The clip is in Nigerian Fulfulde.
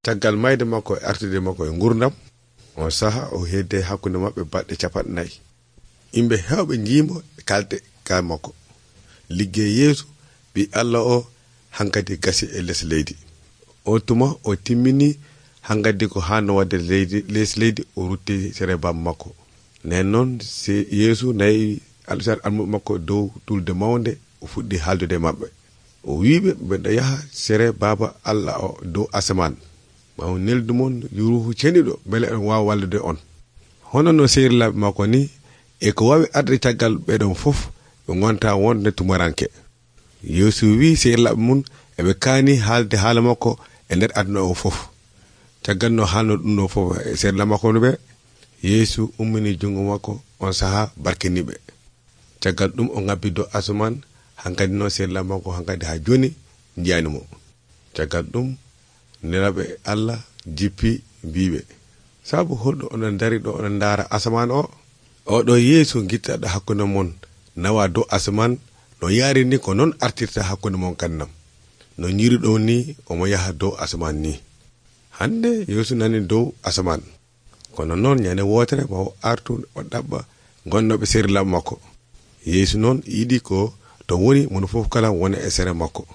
caggal mayde makko e artude makko e gurdam on saha o hedde hakkunde mabbe badde 40. Imbe hewbe jiimo kalde ka makko liggey Yeesu bi Allah o hankadi gasi e les leydi. O tuma o timmini hankadi ko hanno wadde les leydi o rutti sere bam makko. Nen non si Yeesu nayi alsar almu makko dow tulde mawnde o fuddi haldude mabbe. O wiibe be yaha sere baba Allah o dow asaman. Ma on neldu mon yuruhu cenido bele on waawa wallude on. Hono no seerlaabe makko ni e ko wawi adde taggal be don fof be gonta wonde tumaranke. Yeesu wi seerlaabe mun e be kaani haalde haala makko e nder aduna o fof. Taggal no haalno dum no fof e seerlaabe makko be Yeesu ummini jungo makko on saha barkinibe. Taggal dum o ngabbi do asaman hankadi no seerlaabe makko hankadi ha joni jiani mo. Taggal dum nelabe Allah jippi biibe sabu holdo onon dari do onon ndara asaman o do Yeesu gittaado hakkunde mon nawa do asaman no yaari ni ko non artirta hakkunde mon kannam no nyiri do ni o mo yaha do asaman ni. Hande Yeesu nani dow asaman kono non nyane wotere mo artu o dabba gonnobe seerlaabe makko. Yeesu non yidi ko to woni mon fof kala wona e sere makko.